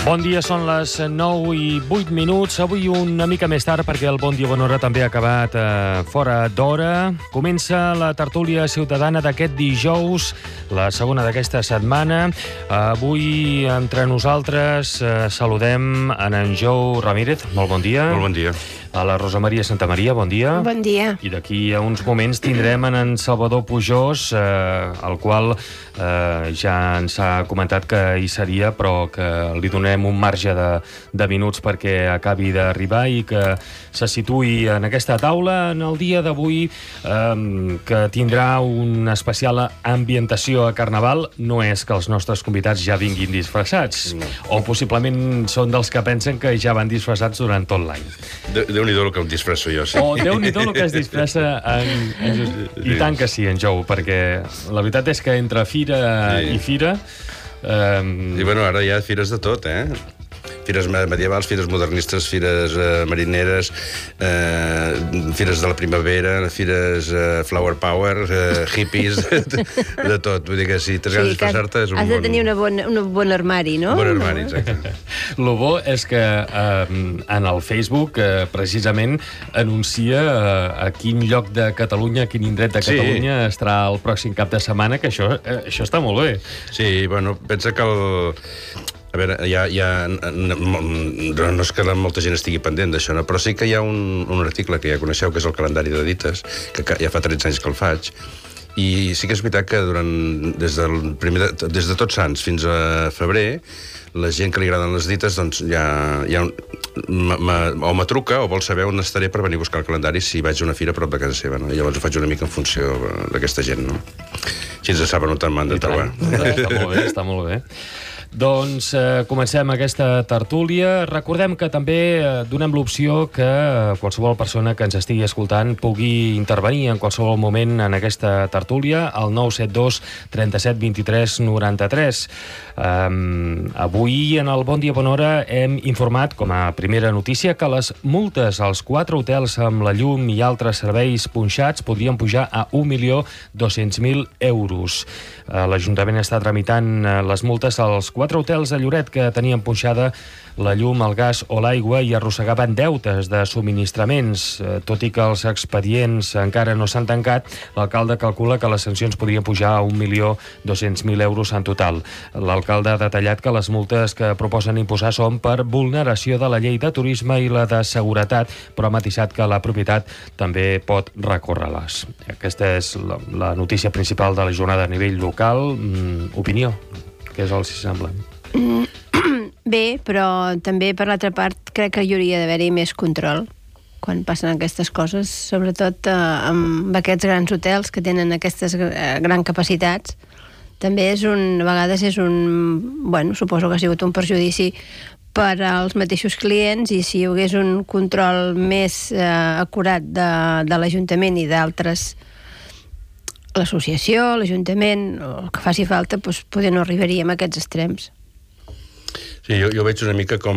Bon dia, són les 9:08. Avui una mica més tard, perquè el Bon Dia Bona Hora també ha acabat fora d'hora. Comença la tertúlia ciutadana d'aquest dijous, la segona d'aquesta setmana. Avui, entre nosaltres, saludem en Jou Ramírez. Molt bon dia. Molt bon dia. A la Rosa Maria Santamaria, bon dia. Bon dia. I d'aquí a uns moments tindrem en Salvador Pujós, el qual ja ens ha comentat que hi seria, però que li donem un marge de minuts perquè acabi d'arribar i que se situï en aquesta taula en el dia d'avui, que tindrà una especial ambientació a Carnaval. No és que els nostres convidats ja vinguin disfressats, o possiblement són dels que pensen que ja van disfressats durant tot l'any. Déu-n'hi-do el que em disfresso jo, sí. O Déu-n'hi-do el que es disfressa I tant que sí, en Jou, perquè la veritat és que entre fira i fira... I bueno, ara hi ha fires de tot, Fires medievals, fires modernistes, fires marineres, fires de la primavera, fires flower power, hippies, de tot. Vull dir que si t'has de disfressar-te és un bon... Has de tenir un bon armari, no? Un bon armari, exacte. Lo bo és que en el Facebook precisament anuncia a quin lloc de Catalunya, a quin indret de Catalunya estarà el pròxim cap de setmana, que això està molt bé. Sí, bueno, pensa que a veure, no és que molta gent estigui pendent d'això, no? Però sí que hi ha un article que ja coneixeu, que és el calendari de dites, que ja fa 13 anys que el faig, i sí que és veritat que des de Tots Sants fins a febrer, la gent que li agraden les dites, doncs o me truca o vol saber on estaré per venir a buscar el calendari si vaig a una fira a prop de casa seva, no? I llavors ho faig una mica en funció d'aquesta gent, no? Així ens saben on m'han de trobar. Està molt bé, està molt bé. Doncs comencem aquesta tertúlia. Recordem que també donem l'opció que qualsevol persona que ens estigui escoltant pugui intervenir en qualsevol moment en aquesta tertúlia al 972 37 23 93. Avui en el Bon Dia Bona Hora hem informat com a primera notícia que les multes als 4 hotels amb la llum i altres serveis punxats podrien pujar a 1.200.000 euros. L'Ajuntament està tramitant les multes als 4 hotels de Lloret que tenien punxada la llum, el gas o l'aigua i arrossegaven deutes de subministraments. Tot i que els expedients encara no s'han tancat, l'alcalde calcula que les sancions podrien pujar a 1.200.000 euros en total. L'alcalde ha detallat que les multes que proposen imposar són per vulneració de la llei de turisme i la de seguretat, però ha matisat que la propietat també pot recórrer-les. Aquesta és la notícia principal de la jornada a nivell local. Opinió? Què és el si sembla? Bé, però també per l'altra part crec que hi hauria d'haver-hi més control quan passen aquestes coses, sobretot amb aquests grans hotels que tenen aquestes grans capacitats. També a vegades és bueno, suposo que ha sigut un perjudici per als mateixos clients, i si hi hagués un control més acurat de l'Ajuntament i d'altres, l'associació, l'Ajuntament, o el que faci falta, doncs potser no arribaríem a aquests extrems. Sí, jo veig una mica com...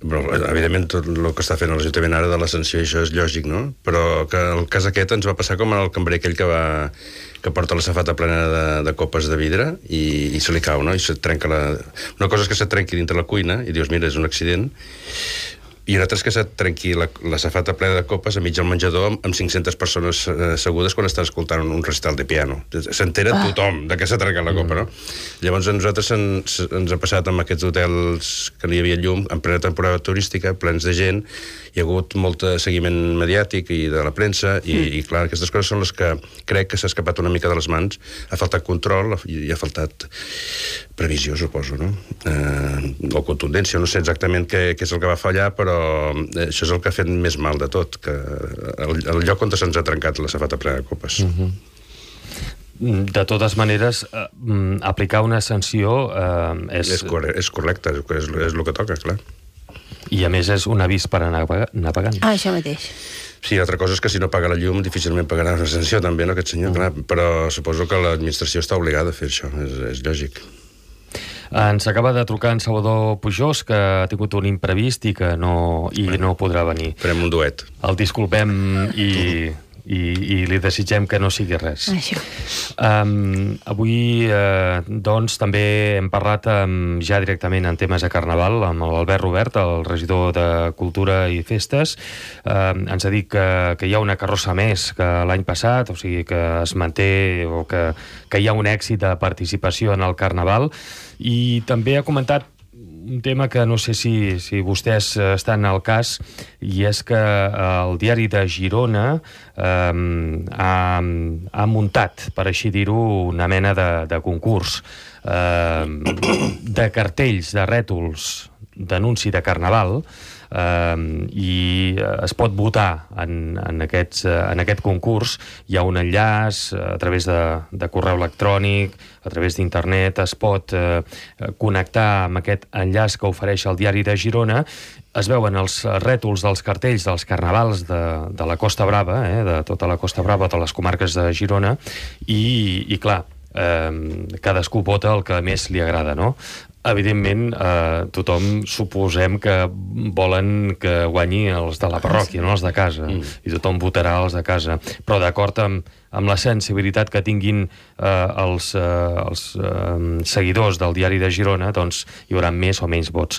Evidentment, tot el que està fent l'Ajuntament ara de la sanció, això és lògic, no? Però que el cas aquest ens va passar com el cambrer aquell que porta la safata plena de copes de vidre i se li cau, no? I se trenca una cosa és que se trenqui dintre la cuina i dius, mira, és un accident, i una altra és que se trenqui la safata plena de copes a mig del menjador amb 500 persones assegudes quan estan escoltant un recital de piano. S'entera tothom de què s'ha trencat la copa, no? Llavors a nosaltres ens ha passat amb aquests hotels que no hi havia llum en plena temporada turística, plens de gent, hi ha hagut molt seguiment mediàtic i de la premsa, i clar, aquestes coses són les que crec que s'ha escapat una mica de les mans. Ha faltat control i ha faltat previsió, suposo, no? O contundència, no sé exactament què és el que va fallar, però això és el que ha fet més mal de tot, que el lloc on se'ns ha trencat la safata plena de copes. De totes maneres, aplicar una sanció és correcte, és el que toca, clar. I a més és un avís per anar pagant. Això mateix. Sí, altra cosa és que si no paga la llum difícilment pagarà una sanció també, no, aquest senyor, clar, però suposo que l'administració està obligada a fer això, és lògic. Ens acaba de trucar en Salvador Pujós, que ha tingut un imprevist i que no podrà venir. Farem un duet. El disculpem i i li desitgem que no sigui res. Això. Avui, doncs, també hem parlat ja directament en temes de Carnaval amb l'Albert Robert, el regidor de Cultura i Festes. Ens ha dit que hi ha una carrossa més que l'any passat, o sigui que es manté o que hi ha un èxit de participació en el Carnaval, i també ha comentat un tema que no sé si vostès estan al cas, i és que el diari de Girona ha muntat, per així dir-ho, una mena de concurs de cartells, de rètols d'anunci de Carnaval, i es pot votar en aquest concurs. Hi ha un enllaç a través de correu electrònic, a través d'internet, es pot connectar amb aquest enllaç que ofereix el diari de Girona. Es veuen els rètols dels cartells dels carnavals de la Costa Brava, de tota la Costa Brava, de les comarques de Girona, i clar, cadascú vota el que més li agrada, no? Evidentment, tothom suposem que volen que guanyi els de la parròquia, no els de casa, i tothom votarà els de casa, però d'acord amb la sensibilitat que tinguin els seguidors del diari de Girona, doncs hi haurà més o menys vots.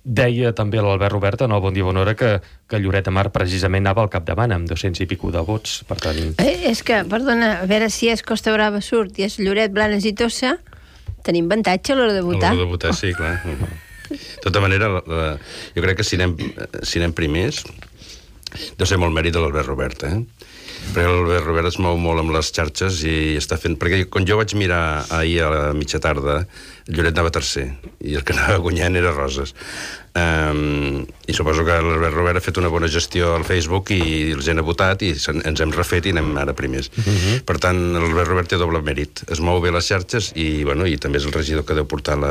Deia també l'Albert Robert en el Bon Dia Bona Hora que Lloret de Mar precisament anava al capdavant amb 200 i pico de vots, per tant... És que, perdona, a veure si és Costa Brava surt i és Lloret, Blanes i Tossa, tenim avantatge a l'hora de votar. A l'hora de votar, sí, clar. De tota manera, jo crec que si anem primers, deu ser molt mèrit de l'Albert Robert, perquè l'Albert Robert es mou molt amb les xarxes i està fent... Perquè quan jo vaig mirar ahir a la mitja tarda, Lloret anava tercer, i el que anava guanyant era Roses. I suposo que l'Albert Robert ha fet una bona gestió al Facebook i els gent ha votat i ens hem refet i anem ara primers. Per tant, l'Albert Robert té doble mèrit. Es mou bé les xarxes i també és el regidor que deu portar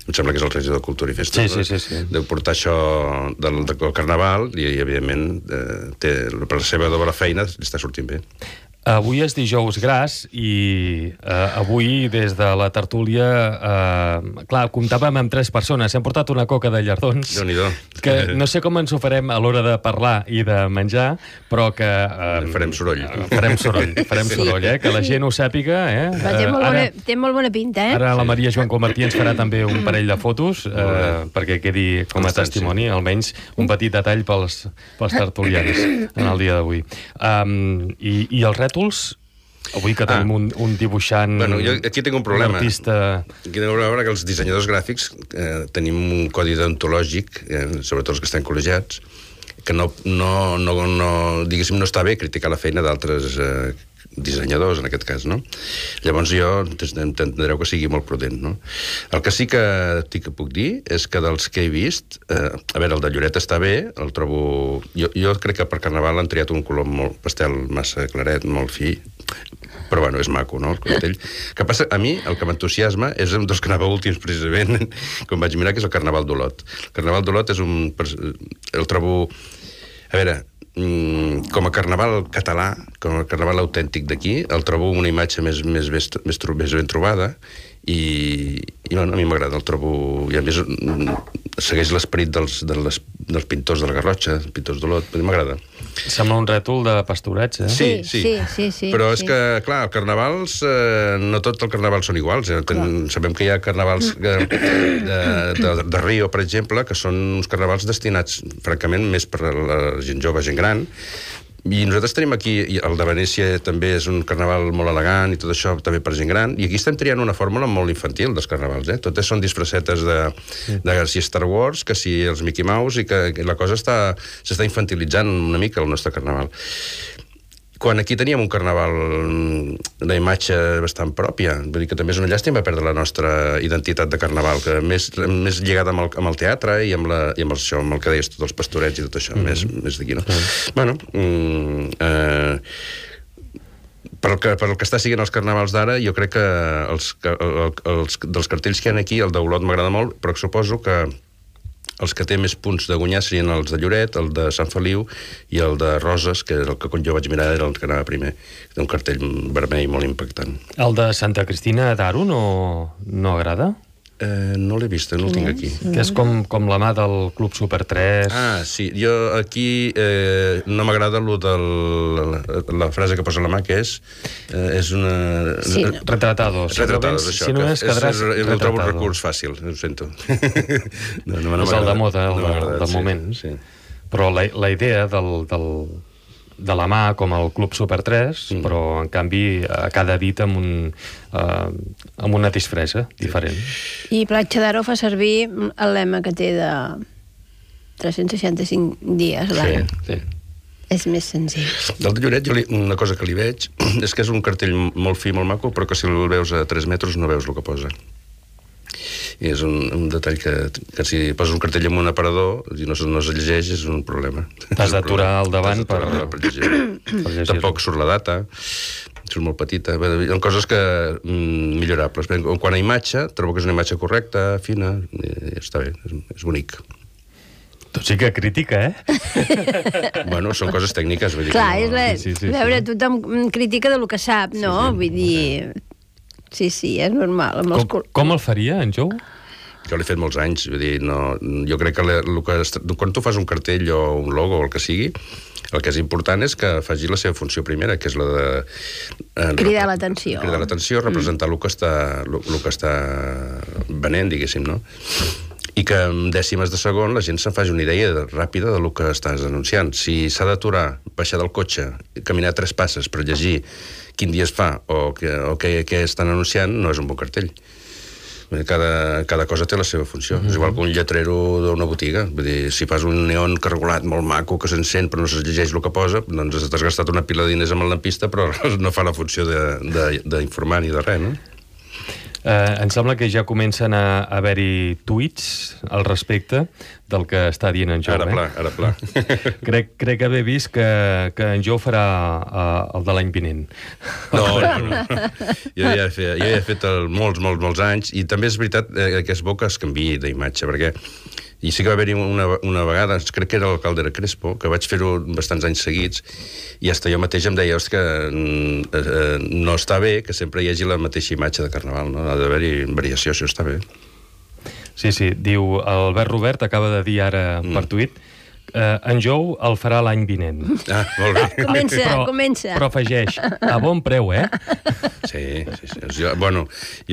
em sembla que és el regidor de Cultura i Festes. Sí. Deu portar això del Carnaval i evidentment, per la seva doble feina li està sortint bé. Avui és dijous gras i avui des de la tertúlia clar, comptàvem amb 3 persones, hem portat una coca de llardons que no sé com ens ho farem a l'hora de parlar i de menjar, però que farem soroll, que la gent ho sàpiga. Té molt bona pinta, Ara la Maria Joan Comartí ens farà també un parell de fotos perquè quedi com a testimoni, almenys un petit detall pels tertulians en el dia d'avui. I els rètols, avui que tenim un dibuixant... Jo aquí tinc un problema. Un artista... Aquí tinc un problema que els dissenyadors gràfics tenim un codi deontològic, sobretot els que estan col·legiats, que diguéssim, no està bé criticar la feina d'altres dissenyadors, en aquest cas, no? Llavors jo entendreu que sigui molt prudent, no? El que sí que puc dir és que dels que he vist, a veure, el de Lloret està bé, el trobo... Jo crec que per Carnaval han triat un color molt pastel, massa claret, molt fi, però bueno, és maco, no?, el cartell. Que passa, a mi, el que m'entusiasma és un dels que anava últims, precisament, com vaig mirar, que és el Carnaval d'Olot. El Carnaval d'Olot és un... El trobo... A veure, com a carnaval català, com a carnaval autèntic d'aquí, el trobo una imatge més ben trobada i a mi m'agrada, el trobo... I a més segueix l'esperit dels pintors de la Garrotxa, pintors d'Olot, m'agrada. Sembla un rètol de pastorets, Sí. Però és que, clar, els carnavals, no tots els carnavals són iguals. Sabem que hi ha carnavals de Rio, per exemple, que són uns carnavals destinats, francament, més per a la gent jove, gent gran. I nosaltres tenim aquí, el de Venècia també és un carnaval molt elegant i tot això també per gent gran, i aquí estem triant una fórmula molt infantil dels carnavals, totes són disfressetes de si Star Wars, que si els Mickey Mouse, i que la cosa s'està infantilitzant una mica el nostre carnaval. Quan aquí teníem un carnaval, una imatge bastant pròpia, vull dir que també és una llàstima perdre la nostra identitat de carnaval, que més lligada amb el teatre i amb el que deies, tots els pastorets i tot això, més d'aquí, no? Bueno, per el que està siguent els carnavals d'ara, jo crec que dels cartells que hi ha aquí, el d'Olot m'agrada molt, però suposo que els que té més punts de guanyar serien els de Lloret, el de Sant Feliu i el de Roses, que és el que quan jo vaig mirar era el que anava primer. Té un cartell vermell molt impactant. El de Santa Cristina d'Aro no agrada? No l'he vist, no el tinc aquí. Que és com la mà del Club Super 3. Ah, sí, jo aquí no m'agrada la frase que posa la mà, que és una... Sí. Retratados. Retratados, això. Si només quedaràs retratado. Trobo un retratado. recurs fàcil, ho sento. És el de moda, del moment. Sí. Però la idea de la mà com el Club Super 3, però en canvi a cada dit amb una disfressa diferent. I Platja d'Aro fa servir el lema que té de 365 dies a l'any. Sí. És més senzill. Del de Lloret, una cosa que li veig és que és un cartell molt fi, molt maco, però que si el veus a 3 metres no veus el que posa. I és un detall que si poses un cartell en un aparador i no es llegeix és un problema. T'has d'aturar al davant per llegir. Tampoc surt la data, surt molt petita. Hi ha coses millorables. Quan a imatge, trobo que és una imatge correcta, fina, i està bé, és bonic. Tu sí que crítica, Bueno, són coses tècniques. Vull dir Clar, Sí. a veure, tothom critica del que sap, no? Vull dir... Sí, és normal. Com el faria, en Jou? Jo l'he fet molts anys, vull dir, jo crec que quan tu fas un cartell o un logo o el que sigui, el que és important és que faci la seva funció primera, que és la de... Cridar l'atenció. Cridar l'atenció, representar el que està venent, diguéssim, no? I que en dècimes de segon la gent se'n faci una idea ràpida del que estàs anunciant. Si s'ha d'aturar, baixar del cotxe, caminar 3 passes per llegir quin dia es fa o què estan anunciant, no és un bon cartell. Cada cosa té la seva funció. És igual que un lletrero d'una botiga. Vull dir, si fas un neon cargolat molt maco que s'encén però no se llegeix el que posa, doncs t'has gastat una pila de diners amb el lampista però no fa la funció d'informar ni de res, no? Em sembla que ja comencen a haver-hi tuits al respecte del que està dient en Jou. Ara pla. Crec haver vist que en Jou farà el de l'any vinent. No. Jo ja he fet molts anys i també és veritat que és bo que es canviï d'imatge, perquè i sí que va haver-hi una vegada, crec que era l'alcalde de Crespo, que vaig fer-ho bastants anys seguits, i fins jo mateix em deia que no està bé que sempre hi hagi la mateixa imatge de Carnaval, no? Ha d'haver-hi variació, això està bé. Sí, diu, Albert Robert acaba de dir ara per tuit, en Jou el farà l'any vinent. Ah, molt bé. Comença. Però afegeix, a bon preu, Sí. Jo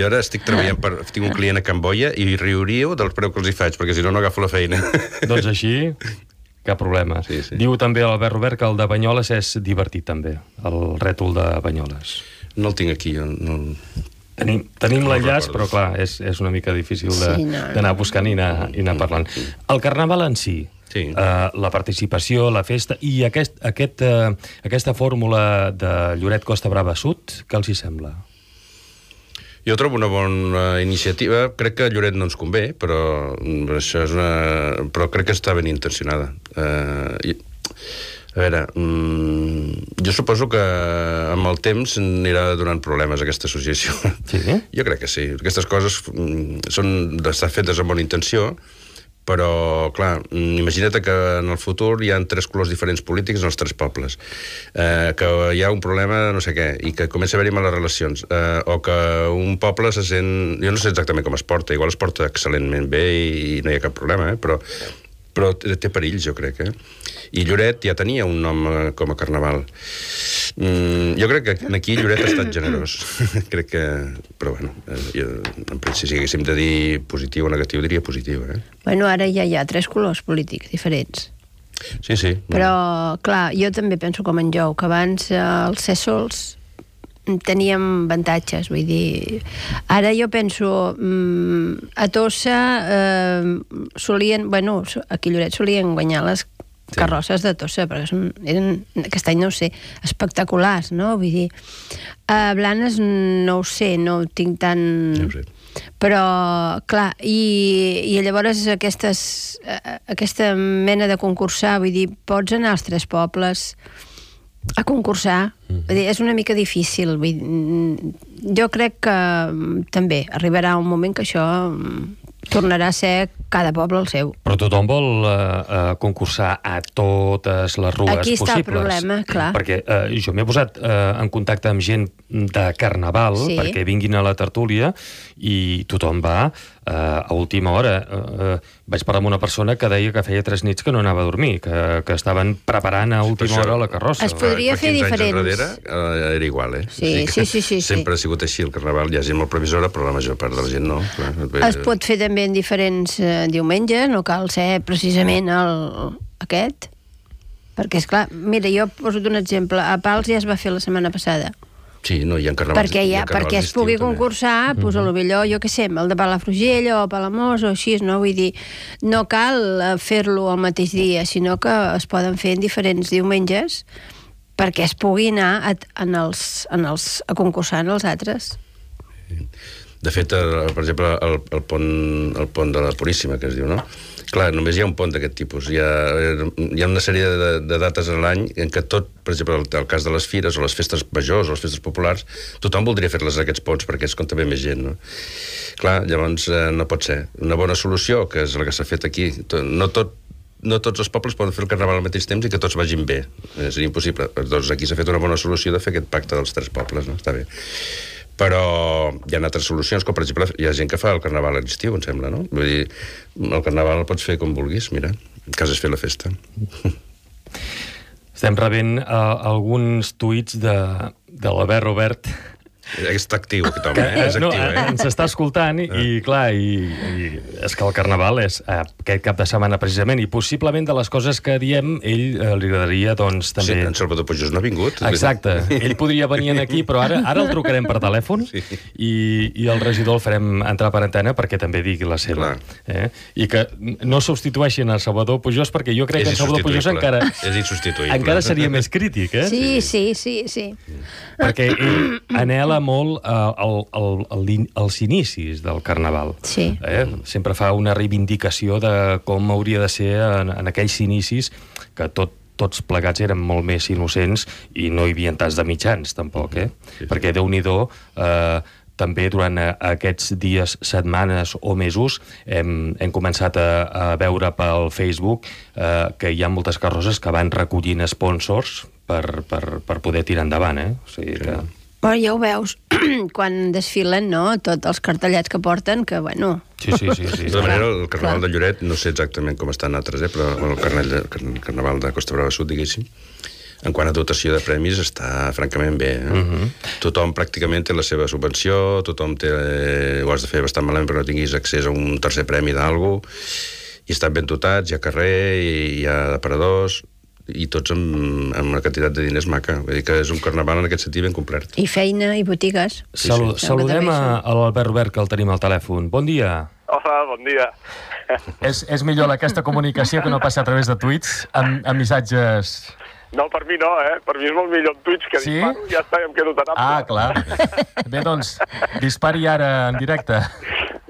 ara estic treballant tinc un client a Can Boia i riuríeu del preu que els hi faig, perquè si no agafo la feina. Doncs així, cap problema. Sí. Diu també l'Albert Robert que el de Banyoles és divertit, també, el rètol de Banyoles. No el tinc aquí, jo no... Tenim l'enllaç, però clar, és una mica difícil d'anar buscant i anar parlant. El Carnaval en si, la participació, la festa i aquesta fórmula de Lloret Costa Brava Sud, què els hi sembla? Jo trobo una bona iniciativa. Crec que a Lloret no ens convé, però això és però crec que està ben intencionada. A veure, jo suposo que amb el temps anirà donant problemes a aquesta associació. Sí? Jo crec que sí. Aquestes coses estan fetes amb bona intenció, però, clar, imagina't que en el futur hi ha 3 colors diferents polítics en els 3 pobles, que hi ha un problema no sé què, i que comença a haver-hi males relacions, o que un poble se sent... Jo no sé exactament com es porta, igual es porta excel·lentment bé i no hi ha cap problema, però té perills, jo crec, I Lloret ja tenia un nom com a Carnaval. Jo crec que aquí Lloret ha estat generós. Crec que... Però, bueno, si haguéssim de dir positiu o negatiu, diria positiu, Bueno, ara ja hi ha 3 colors polítics diferents. Sí. Però, clar, jo també penso com en Jou, que abans els cèsols teníem avantatges, vull dir... Ara jo penso, a Tossa solien... Bueno, aquí a Lloret solien guanyar les carrosses de Tossa, perquè eren, aquest any no ho sé, espectaculars, no? Vull dir, a Blanes no ho sé, no ho tinc tan... No ho sé. Però, clar, i llavors aquesta mena de concursar, vull dir, pots anar als 3 pobles a concursar, vull dir, és una mica difícil, vull dir, jo crec que també arribarà un moment que això tornarà a ser cada poble el seu. Però tothom vol concursar a totes les rues Aquí possibles. està el problema, clar. Perquè jo m'he posat en contacte amb gent de Carnaval perquè vinguin a la tertúlia i tothom va a última hora. Vaig parlar amb una persona que deia que feia 3 nits que no anava a dormir, que estaven preparant a última hora la carrossa. Es podria fer diferents. 15 anys enrere era igual, Sí. Sempre ha sigut així el Carnaval. Hi ha gent molt previsora, però la major part de la gent no. Es pot fer també en diferents diumenges, no cal ser precisament aquest, perquè, esclar, mira, jo poso un exemple. A Pals ja es va fer la setmana passada. Sí, no, hi ha carnavals. Perquè es pugui concursar, doncs potser, jo què sé, el de Palafrugell o Palamós o així, no? Vull dir, no cal fer-lo al mateix dia, sinó que es poden fer en diferents diumenges perquè es pugui anar a concursar en els altres. De fet, per exemple, el pont de la Puríssima, que es diu, no? Clar, només hi ha un pont d'aquest tipus. Hi ha una sèrie de dates a l'any en què tot, per exemple, el cas de les fires o les festes majors o les festes populars, tothom voldria fer-les a aquests ponts perquè és on també més gent, no? Clar, llavors no pot ser. Una bona solució, que és la que s'ha fet aquí, no tots els pobles poden fer el Carnaval al mateix temps i que tots vagin bé. Seria impossible. Doncs aquí s'ha fet una bona solució de fer aquest pacte dels 3 pobles, no? Està bé. Però hi ha altres solucions, com per exemple hi ha gent que fa el Carnaval a l'estiu, em sembla, no? Vull dir, el Carnaval el pots fer com vulguis, mira, el cas és fer la festa. Estem rebent alguns tuits de l'Albert Robert. Està actiu, aquest home, és actiu, Ens està escoltant i clar, i és que el Carnaval és aquest cap de setmana precisament, i possiblement de les coses que diem ell li agradaria, doncs, també... Sí, en Salvador Pujós no ha vingut. Exacte, ell podria venir aquí, però ara el trucarem per telèfon i el regidor el farem entrar per antena perquè també digui la seva. I que no substitueixin el Salvador Pujós, perquè jo crec que el Salvador Pujós encara... És insubstituïble. Encara seria més crític, Sí. Perquè ell anhela molt als inicis del Carnaval. Sí. Sempre fa una reivindicació de com hauria de ser en aquells inicis que tots plegats eren molt més innocents i no hi havia tants de mitjans, tampoc, Perquè, Déu-n'hi-do, també durant aquests dies, setmanes o mesos hem començat a veure pel Facebook que hi ha moltes carrosses que van recollint sponsors per poder tirar endavant, O sigui que... Però ja ho veus, quan desfilen, no?, tots els cartellets que porten, que, bueno... Sí. De tota manera, el Carnaval de Lloret, no sé exactament com estan altres, però el Carnaval de Costa Brava Sud, diguéssim, en quant a dotació de premis, està francament bé. Tothom pràcticament té la seva subvenció, tothom té... Ho has de fer bastant malament perquè no tinguis accés a un tercer premi d'algú, i estan ben dotats, hi ha carrer, hi ha aparadors... i tots amb una quantitat de diners maca. Vull dir que és un carnaval en aquest sentit ben complet. I feina i botigues. Saludem a l'Albert Robert, que el tenim al telèfon. Bon dia. Hola, bon dia. És millor aquesta comunicació que no passa a través de tuits, amb missatges... No, per mi no, Per mi és molt millor en tuits que disparo, ja està, ja em quedo tan ample. Clar. Bé, doncs, dispari ara en directe.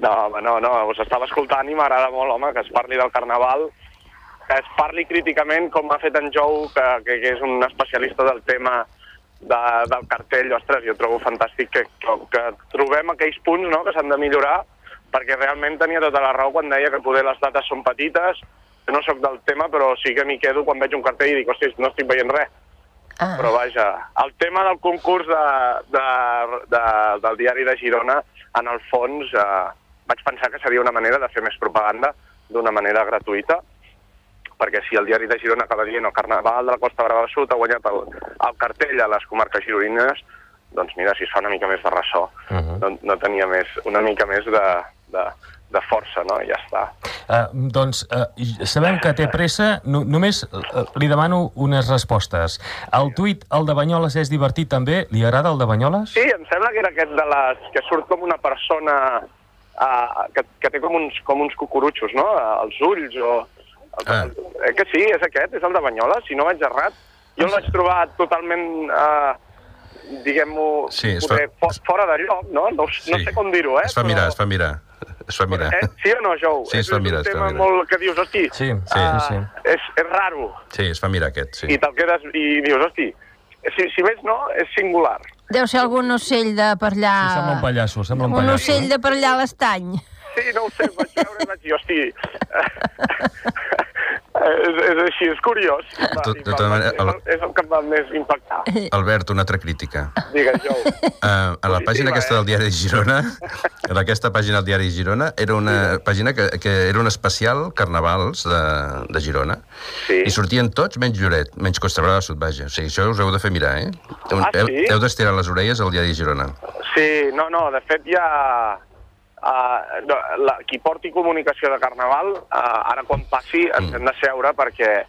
No, home, no, us estava escoltant i m'agrada molt, home, que es parli del Carnaval, que es parli críticament, com ha fet en Jou, que és un especialista del tema del cartell. Ostres, jo trobo fantàstic que trobem aquells punts, no?, que s'han de millorar, perquè realment tenia tota la raó quan deia que poder les dates són petites. Jo no sóc del tema, però sí que m'hi quedo quan veig un cartell i dic, hòstia, no estic veient res. Però vaja, el tema del concurs del diari de Girona, en el fons, vaig pensar que seria una manera de fer més propaganda d'una manera gratuïta, perquè si el diari de Girona acaba dient el Carnaval de la Costa Brava Sud ha guanyat el cartell a les comarques gironines, doncs mira, si es fa una mica més de ressò, no tenia una mica més de força, no? I ja està. Sabem que té pressa, només li demano unes respostes. El tuit, el de Banyoles, és divertit també? Li agrada el de Banyoles? Sí, em sembla que era aquest que surt com una persona que té com uns cucurutxos, no?, als ulls o... Que sí, és aquest, és el de Banyoles, si no vaig errat. Jo el vaig trobar totalment, diguem-ho, fora de lloc, no? No sé com dir-ho, Es fa mirar. Sí o no, Jou? Sí, es fa mirar. És un tema molt que dius, hosti, sí. És raro. Sí, es fa mirar aquest, sí. I te'l quedes i dius, hosti, si més no, és singular. Deu ser algun ocell de per allà... Sí, sembla un pallasso. Un ocell de per allà a l'estany. sí, no ho sé, vaig veure i vaig dir, hosti, és així, és curiós. És el que em va més impactar. Albert, una altra crítica. Digues, Jo. A la pàgina aquesta del Diari de Girona, en aquesta pàgina del Diari de Girona, era una pàgina que era un especial carnavals de Girona, i sortien tots menys Lloret, menys Costa Brava Sud, vaja. O sigui, això us heu de fer mirar, eh? Heu d'estirar les orelles al Diari de Girona. Sí, no, de fet ja... qui porti comunicació de Carnaval, ara quan passi ens hem de seure, perquè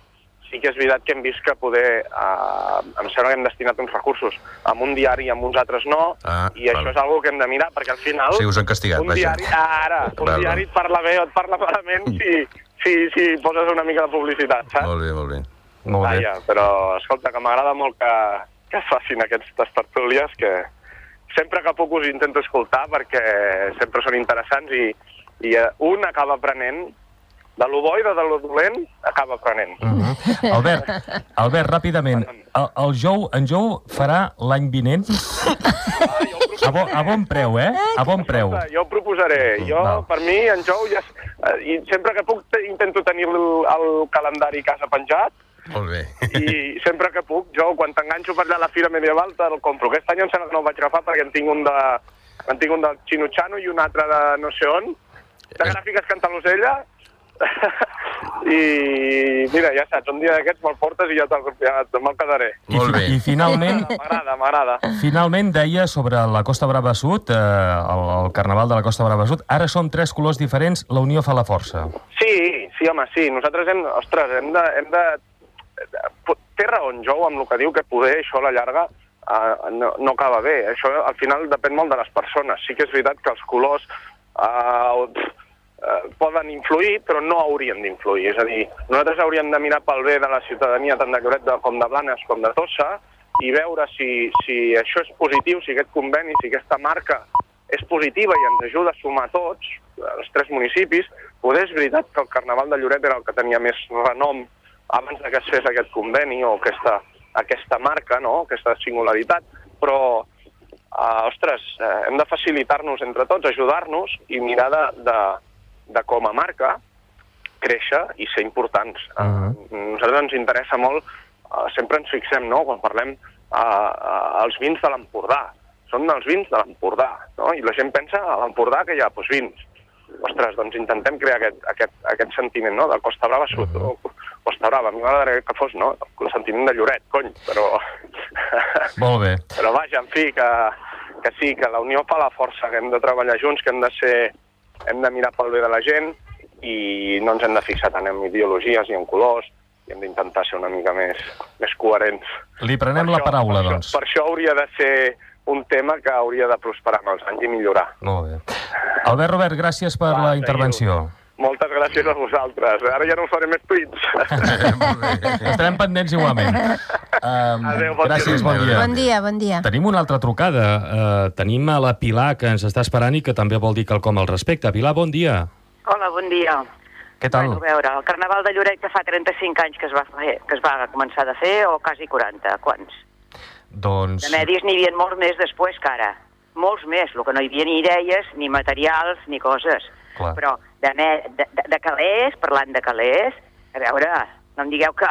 sí que és veritat que hem vist que poder... em sembla que hem destinat uns recursos amb un diari i amb uns altres no, i això és una que hem de mirar, perquè al final... Sí, us han castigat, vaja. Un diari et parla bé o et parla malament si poses una mica de publicitat, saps? Molt bé, molt bé. Vaja, però, escolta, que m'agrada molt que es facin aquestes tertúlies, que sempre que puc us intento escoltar, perquè sempre són interessants i un acaba aprenent. De lo bo i de lo dolent acaba aprenent. Albert, ràpidament, en Jou farà l'any vinent? A bon preu, eh? A bon preu. Jo ho proposaré. Per mi, en Jou, i sempre que puc intento tenir el calendari a casa penjat. Molt bé. I sempre que puc, jo, quan t'enganxo per allà a la Fira Medieval, te'l compro. Aquest any em sembla que no el vaig agafar perquè en tinc un del Xino-Xano i un altre de no sé on, de gràfiques Cantalosella. I mira, ja saps, un dia d'aquests me'l portes i ja me'l quedaré. Molt bé. I finalment... M'agrada. Finalment deia sobre la Costa Brava Sud, el Carnaval de la Costa Brava Sud, ara som 3 colors diferents, la unió fa la força. Sí, home, sí. Nosaltres hem de... Té raó en Jou amb el que diu, que poder això a la llarga no acaba bé. Això al final depèn molt de les persones. Sí que és veritat que els colors poden influir, però no haurien d'influir. És a dir, nosaltres hauríem de mirar pel bé de la ciutadania, tant de Lloret com de Blanes com de Tossa, i veure si això és positiu, si aquest conveni, si aquesta marca és positiva i ens ajuda a sumar tots, els 3 municipis. Poder és veritat que el Carnaval de Lloret era el que tenia més renom abans que es fes aquest conveni o aquesta marca, no? Aquesta singularitat, però hem de facilitar-nos entre tots, ajudar-nos i mirar de com a marca créixer i ser importants. A nosaltres ens interessa molt, sempre ens fixem, no?, quan parlem els vins de l'Empordà. Són els vins de l'Empordà, no? I la gent pensa a l'Empordà que hi ha vins. Ostres, doncs intentem crear aquest sentiment, no?, de Costa Brava Sud, o Costa Brava. A mi m'agradaria que fos, no?, el sentiment de Lloret, cony, però... Molt bé. Però vaja, en fi, que sí, que la unió fa la força, que hem de treballar junts, que hem de mirar pel bé de la gent i no ens hem de fixar tant en ideologies i en colors, i hem d'intentar ser una mica més coherents. Li prenem la paraula, doncs. Per això hauria de ser un tema que hauria de prosperar amb els anys i millorar. Molt bé. Albert Robert, gràcies per la intervenció. Moltes gràcies a vosaltres. Ara ja no us faré més tuits. Estarem pendents igualment. Adéu, gràcies, bon dia. Bon dia. Tenim una altra trucada. Tenim a la Pilar, que ens està esperant i que també vol dir quelcom al respecte. Pilar, bon dia. Hola, bon dia. Què tal? Bueno, a veure, el Carnaval de Lloret que fa 35 anys que es va començar a fer, o quasi 40, quants? Doncs... De medis n'hi havia molts més després que ara. Molts més, el que no hi havia ni idees, ni materials, ni coses. Clar. Però de calés, parlant de calés, a veure, no em digueu que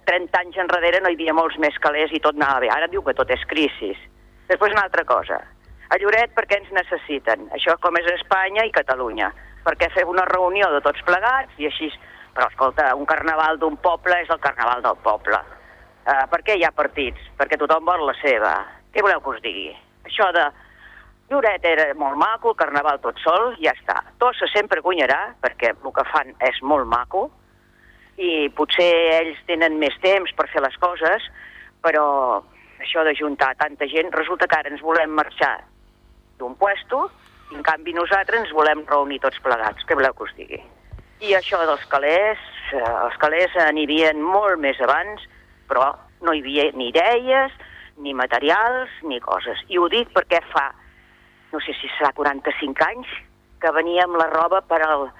30 anys enrere no hi havia molts més calés i tot anava bé. Ara diu que tot és crisi. Després una altra cosa. A Lloret per què ens necessiten? Això com és Espanya i Catalunya. Per què fer una reunió de tots plegats i així... Però, escolta, un carnaval d'un poble és el carnaval del poble. Per què hi ha partits? Perquè tothom vol la seva. Què voleu que us digui? Això de... Lloret era molt maco, el carnaval tot sol, ja està. Tossa sempre guanyarà, perquè el que fan és molt maco, i potser ells tenen més temps per fer les coses, però això de juntar tanta gent, resulta que ara ens volem marxar d'un puesto, i en canvi nosaltres ens volem reunir tots plegats. Què voleu que us digui? I això dels calés, els calés n'hi havia molt més abans, però no hi havia ni idees, ni materials, ni coses. I ho dic perquè fa, no sé si serà 45 anys, que veníem la roba per al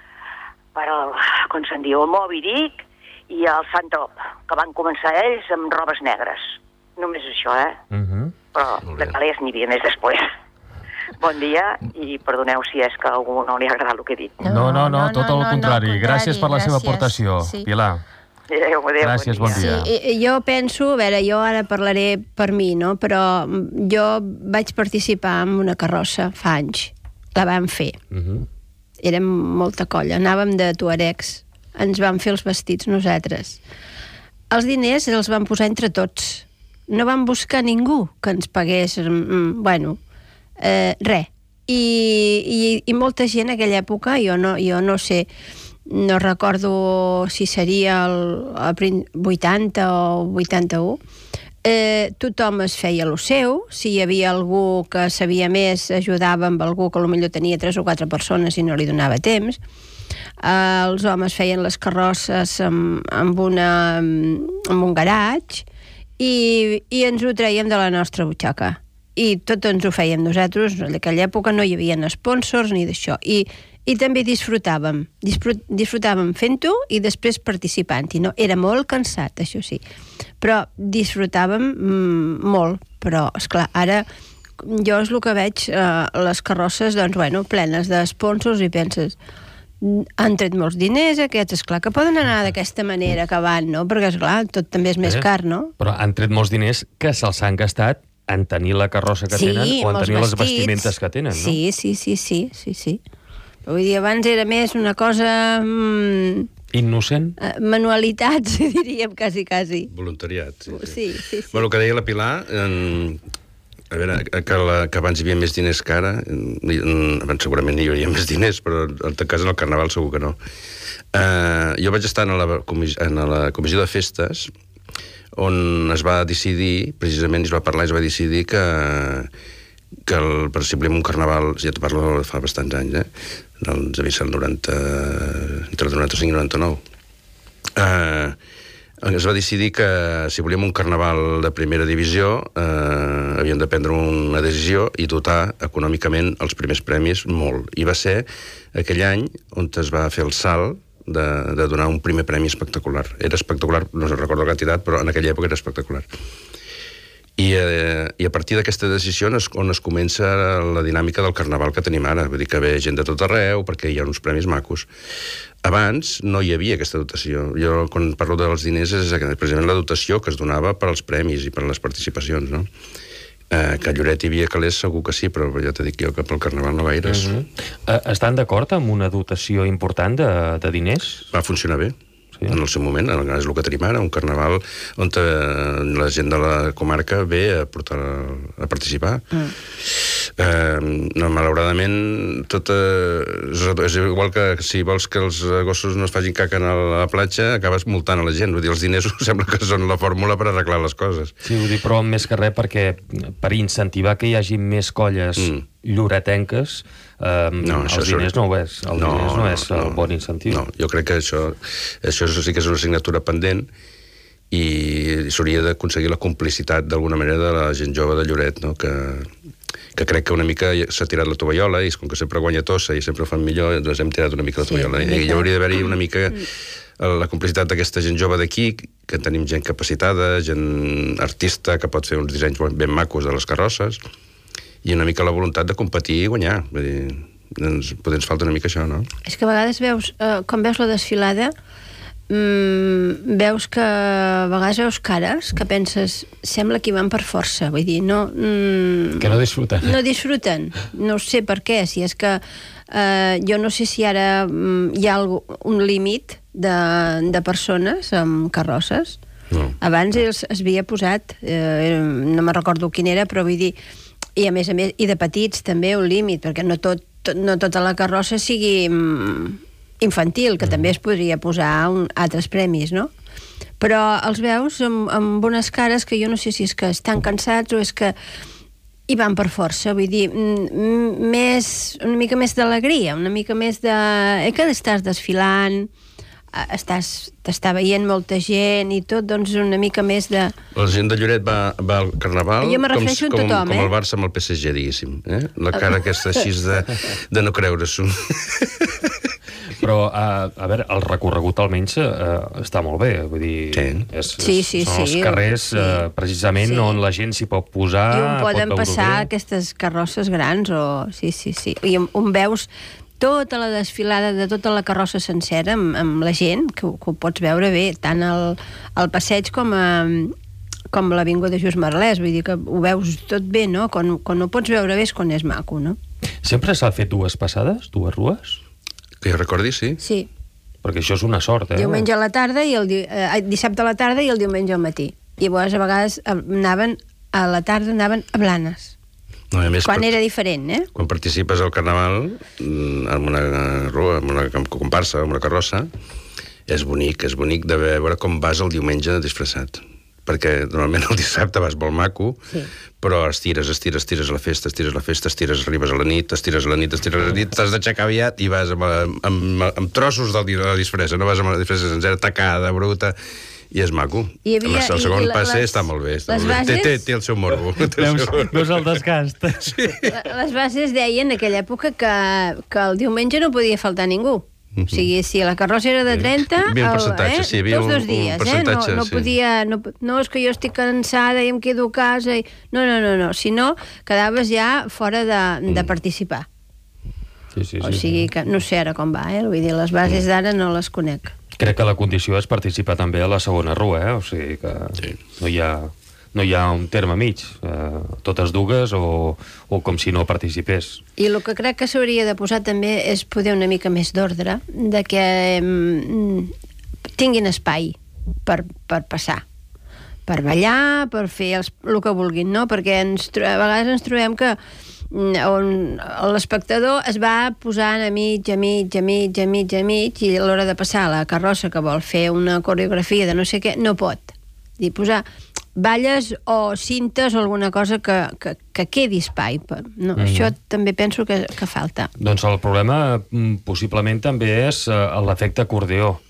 com se'n diu, el Moby Dick i el Santop, que van començar ells amb robes negres. Només això, eh? Però de calés n'hi havia més després. Bon dia i perdoneu si és que a algú no li ha agradat el que he dit. No, tot el contrari. Gràcies per la seva aportació, Pilar. Adéu, Gràcies, bon dia. Sí, jo penso, a veure, jo ara parlaré per mi, no? Però jo vaig participar en una carrossa fa anys. La vam fer. Érem molta colla, anàvem de tuaregs. Ens vam fer els vestits nosaltres. Els diners els vam posar entre tots. No vam buscar ningú que ens pagués, res. I molta gent en aquella època, jo no sé, no recordo si seria el 80 o 81, tothom es feia el seu, si hi havia algú que sabia més, ajudava amb algú que potser tenia 3 o 4 persones i no li donava temps. Els homes feien les carrosses amb un garatge i ens ho traiem de la nostra butxaca. I tot ens ho fèiem nosaltres. En aquella època no hi havia sponsors ni d'això. I també disfrutàvem fent-ho i després participant-hi. No? Era molt cansat, això sí, però disfrutàvem molt. Però, esclar, ara jo és el que veig, les carrosses plenes de sponsors, i penses, han tret molts diners aquests, esclar que poden anar d'aquesta manera que van, no? Perquè, esclar, tot també és més car, no? Però han tret molts diners que se'ls han gastat en tenir la carrossa que tenen o en tenir les vestimentes que tenen, no? Sí. Vull dir, abans era més una cosa... Innocent? Manualitats, diríem, quasi. Voluntariat, sí. Bueno, el que deia la Pilar, a veure, que abans hi havia més diners que ara, abans segurament hi hauria més diners, però en tot cas en el Carnaval segur que no. Jo vaig estar en la comissió de festes, on es va decidir, precisament es va parlar i es va decidir que per exemple en un Carnaval, ja t'ho parlo fa bastants anys, devia ser el 90, entre el 95 i 99, es va decidir que si volíem un Carnaval de primera divisió havíem de prendre una decisió i dotar econòmicament els primers premis molt. I va ser aquell any on es va fer el salt de donar un primer premi espectacular. Era espectacular, no recordo la quantitat, però en aquella època era espectacular. I a partir d'aquesta decisió on es comença la dinàmica del Carnaval que tenim ara. Vull dir que ve gent de tot arreu perquè hi ha uns premis macos. Abans no hi havia aquesta dotació. Jo, quan parlo dels diners, és precisament la dotació que es donava per als premis i per les participacions, no? Que a Lloret hi havia calés segur que sí, però ja t'he dit jo que pel Carnaval no gaires. Estan d'acord amb una dotació important de diners? Va funcionar bé. En el seu moment, és el que tenim ara, un Carnaval on la gent de la comarca ve a participar. Malauradament, tot és igual que si vols que els gossos no es facin caca a la platja, acabes multant a la gent. Vull dir, els diners sembla que són la fórmula per arreglar les coses. Sí, vull dir, però més que res perquè per incentivar que hi hagi més colles lloretenques, els diners no ho és. Els diners no és el bon incentiu. No, jo crec que això sí que és una assignatura pendent i s'hauria d'aconseguir la complicitat d'alguna manera de la gent jove de Lloret, no? Que crec que una mica s'ha tirat la tovallola i com que sempre guanya tossa i sempre ho fan millor, doncs hem tirat una mica la tovallola. I hi hauria d'haver-hi una mica la complicitat d'aquesta gent jove d'aquí, que tenim gent capacitada, gent artista que pot fer uns dissenys ben macos de les carrosses, i una mica la voluntat de competir i guanyar. Vull dir, potser ens falta una mica això, no? És que a vegades quan veus la desfilada, veus que a vegades veus cares que penses, sembla que hi van per força, vull dir, no... Que no disfruten. No disfruten, no sé per què, si és que jo no sé si ara hi ha un límit de persones amb carrosses. No. Abans es havia posat, no me recordo quin era, però vull dir, i a més, i de petits també un límit, perquè no tota la carrossa sigui infantil, que també es podria posar altres premis, no? Però els veus amb unes cares que jo no sé si és que estan cansats o és que hi van per força, vull dir, una mica més d'alegria, una mica més de... que estàs desfilant, t'està veient molta gent i tot, doncs una mica més de... La gent de Lloret va al Carnaval com el Barça amb el PSG, diguéssim. La cara aquesta així de no creure-s'ho. Però, a veure, el recorregut almenys està molt bé, vull dir... Sí. Són els carrers, precisament, on la gent s'hi pot posar, i on poden passar bé. aquestes carrosses grans, sí. I on veus tota la desfilada de tota la carrossa sencera amb la gent, que ho pots veure bé, tant al passeig com l'Avinguda Just Merlès, vull dir que ho veus tot bé, no? Quan ho pots veure bé és quan és maco, no? Sempre s'ha fet dues passades, dues rues? Que jo recordi, sí. Sí. Perquè això és una sort, Diumenge a la tarda i dissabte a la tarda i el diumenge al matí. I llavors a vegades anaven a Blanes. No, a més, quan era diferent, Quan participes al Carnaval, en una rua, en una comparsa, en una carrossa, és bonic de veure com vas el diumenge disfressat. Perquè normalment el dissabte vas molt maco, sí. Però estires a la festa, arribes a la nit, t'has d'aixecar aviat i vas amb trossos de la disfressa, no vas amb la disfressa sencera, tacada, bruta, i és maco. El segon passe està molt bé. Té el seu morbo. Veus el desgast. Sí. Les bases deien en aquella època que el diumenge no podia faltar ningú. O sigui, si la carrossa era de 30, havia un percentatge, sí, havia tots 2 dies, no podia... No, és que jo estic cansada i em quedo a casa... No, si no, quedaves ja fora de participar. Sí. O sigui que no sé ara com va, vull dir, les bases d'ara no les conec. Crec que la condició és participar també a la segona rua, o sigui que no hi ha un terme mig, totes dues o com si no participés. I el que crec que s'hauria de posar també és poder una mica més d'ordre, de que tinguin espai per passar, per ballar, per fer el que vulguin, no? Perquè a vegades ens trobem que l'espectador es va posant a mig, i a l'hora de passar la carrossa que vol fer una coreografia de no sé què, no pot. I posar balles o cintes o alguna cosa que quedi espai. No, això també penso que falta. Doncs el problema possiblement també és l'efecte acordeó,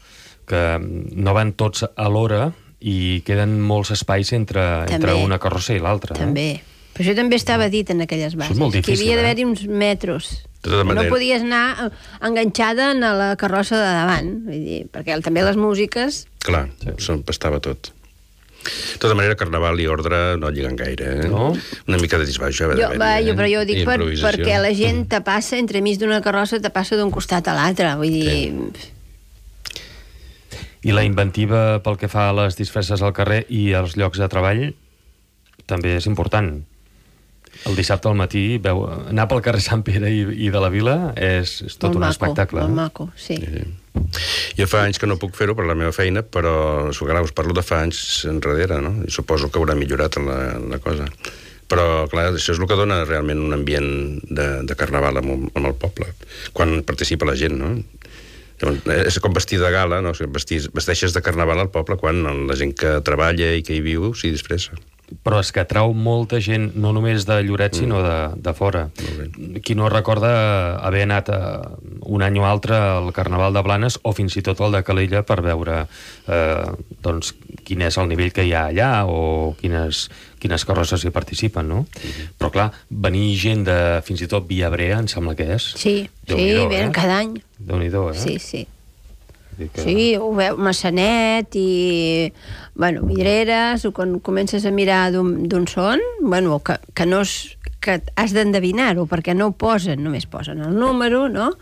que no van tots alhora i queden molts espais entre una carrossa i l'altra. També. Però això també estava dit en aquelles bases. És molt difícil, que havia d'haver-hi uns metros. No podies anar enganxada a la carrossa de davant, vull dir, perquè també les músiques... Clar, s'empastava tot. De tota manera, Carnaval i ordre no lliguen gaire, No? Una mica de disbaix ja va però jo ho dic perquè la gent te passa entremig d'una carrossa, te passa d'un costat a l'altre, vull dir... I la inventiva pel que fa a les disfresses al carrer i als llocs de treball també és important. El dissabte al matí anar pel carrer Sant Pere i de la Vila és tot un espectacle. Molt maco, sí. Jo fa anys que no puc fer-ho per la meva feina, però us parlo de fa anys enrere, no? I suposo que haurà millorat la cosa. Però, clar, això és el que dona realment un ambient de Carnaval amb el poble, quan participa la gent, no? És com vestir de gala, no? Vesteixes de Carnaval al poble quan la gent que treballa i que hi viu s'hi disfressa. Però és que atrau molta gent, no només de Lloret, sinó de fora. Qui no recorda haver anat un any o altre al Carnaval de Blanes o fins i tot al de Calella per veure doncs, quin és el nivell que hi ha allà o quines carrosses hi participen, no? Però clar, venir gent de fins i tot Viabrea, em sembla que és. Sí, venen cada any. Déu-n'hi-do, Sí. Sí, ho veu, Massanet i, Vidreres, o quan comences a mirar d'on són, que has d'endevinar-ho, perquè no ho posen, només posen el número, no?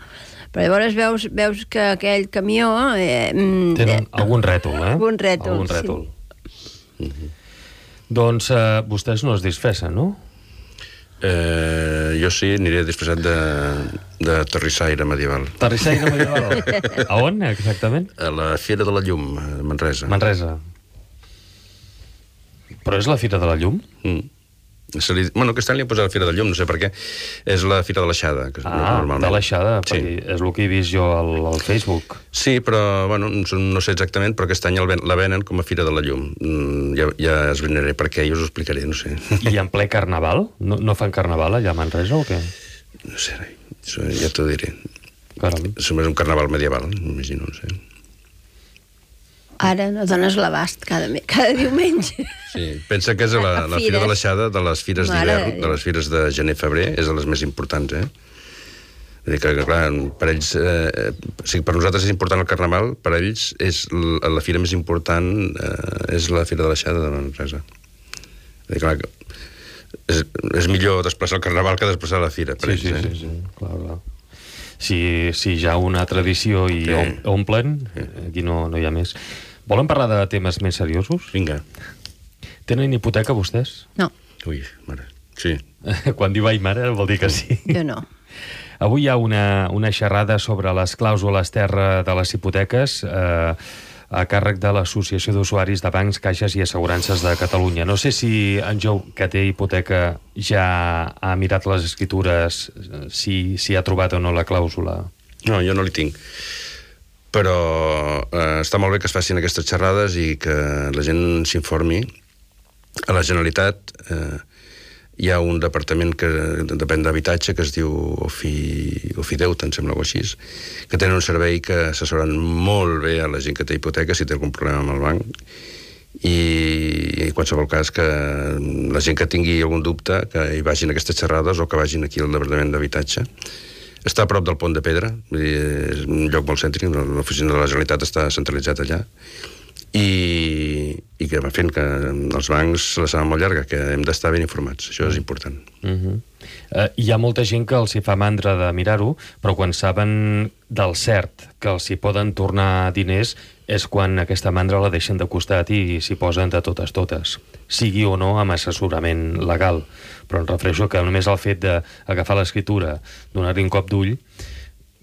Però llavors veus que aquell camió... Tenen algun rètol, Algun rètol. Sí. Doncs vostès no es disfressen, no? Jo sí, aniré disfressat de terrissaire medieval. Terrissaire medieval? A on, exactament? A la Fira de la Llum, a Manresa. Manresa. Però és la Fira de la Llum? Aquest any li han posat la Fira de la Llum, no sé per què. És la Fira de l'Aixada. De l'Aixada, perquè és el que he vist jo al Facebook. Sí, però, no sé exactament, però aquest any la venen com a Fira de la Llum. Ja esbrinaré per què i us ho explicaré, no sé. I en ple Carnaval? No fan Carnaval allà a Manresa o què? No sé, ja t'ho diré. Caram. És un Carnaval medieval, m'imagino, no sé. Ara no dones l'abast cada diumenge. Sí, pensa que és la Fira de l'Aixada de les fires d'hivern, de les fires de gener-febrer, és de les més importants, Vull dir que, clar, per ells... o sigui, per nosaltres és important el Carnaval, per ells la fira més important és la Fira de l'Aixada de Manresa. Vull dir, clar, és millor desplaçar el Carnaval que desplaçar la fira, per ells. Sí, clar. Si hi ha una tradició i omplen, aquí no hi ha més. Volen parlar de temes més seriosos? Vinga. Tenen hipoteca, vostès? No. Ui, mare, sí. Quan diu ai mare vol dir que sí. Jo no. Avui hi ha una xerrada sobre les clàusules terra de les hipoteques a càrrec de l'Associació d'Usuaris de Bancs, Caixes i Assegurances de Catalunya. No sé si en Jou, que té hipoteca, ja ha mirat les escritures, si ha trobat o no la clàusula. No, jo no li tinc. Però està molt bé que es facin aquestes xerrades i que la gent s'informi. A la Generalitat hi ha un departament que depèn d'habitatge que es diu Ofideute, em sembla, o així, que tenen un servei que assessoren molt bé a la gent que té hipoteca si té algun problema amb el banc, i en qualsevol cas que la gent que tingui algun dubte que hi vagin a aquestes xerrades o que vagin aquí al departament d'habitatge. Està a prop del Pont de Pedra, és un lloc molt cèntric, l'oficina de la Generalitat està centralitzat allà, i que va fent que els bancs se la saben molt llarga, que hem d'estar ben informats, això és important. Hi ha molta gent que els hi fa mandra de mirar-ho, però quan saben del cert que els hi poden tornar diners és quan aquesta mandra la deixen de costat i s'hi posen de totes, sigui o no amb assessorament legal. Però em refereixo que només el fet d'agafar l'escriptura, donar-hi un cop d'ull,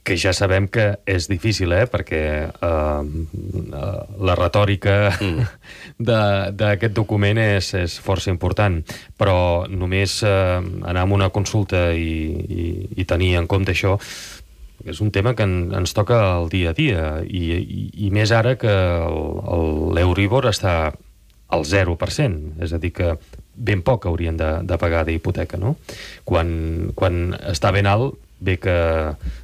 que ja sabem que és difícil, perquè la retòrica d'aquest document és força important, però només anar a una consulta i tenir en compte això és un tema que ens toca el dia a dia, i més ara que l'Euribor està al 0%, és a dir que ben poc haurien de pagar d'hipoteca, no? Quan està ben alt, bé que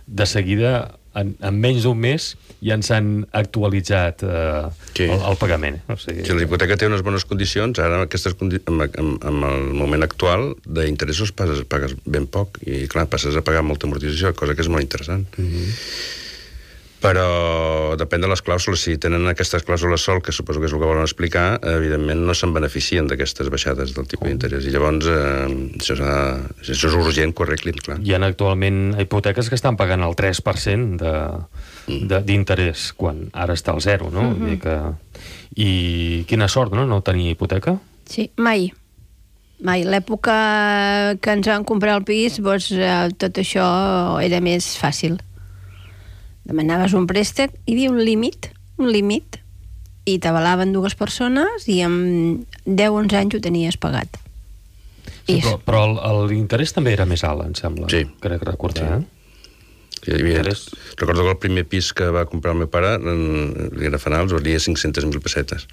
de seguida, en menys d'un mes, ja ens han actualitzat el pagament. O sigui, si la hipoteca té unes bones condicions, ara amb el moment actual d'interessos pagues ben poc, i clar, passes a pagar molta amortització, cosa que és molt interessant. Però depèn de les clàusules. Si tenen aquestes clàusules sol, que suposo que és el que volen explicar, evidentment no se'n beneficien d'aquestes baixades del tipus d'interès. I llavors això és urgent que ho arreglin, clar. Hi ha actualment hipoteques que estan pagant el 3% d'interès, quan ara està al 0, no? I quina sort, no tenir hipoteca? Sí, mai. L'època que ens van comprar el pis, tot això era més fàcil. Demanaves un préstec, hi havia un límit, i t'avalaven 2 persones i en 10-11 anys ho tenies pagat. Sí, però l'interès també era més alt, em sembla. Sí. Crec recordar, Recordo que el primer pis que va comprar el meu pare, era Fanals, valia 500.000 pessetes.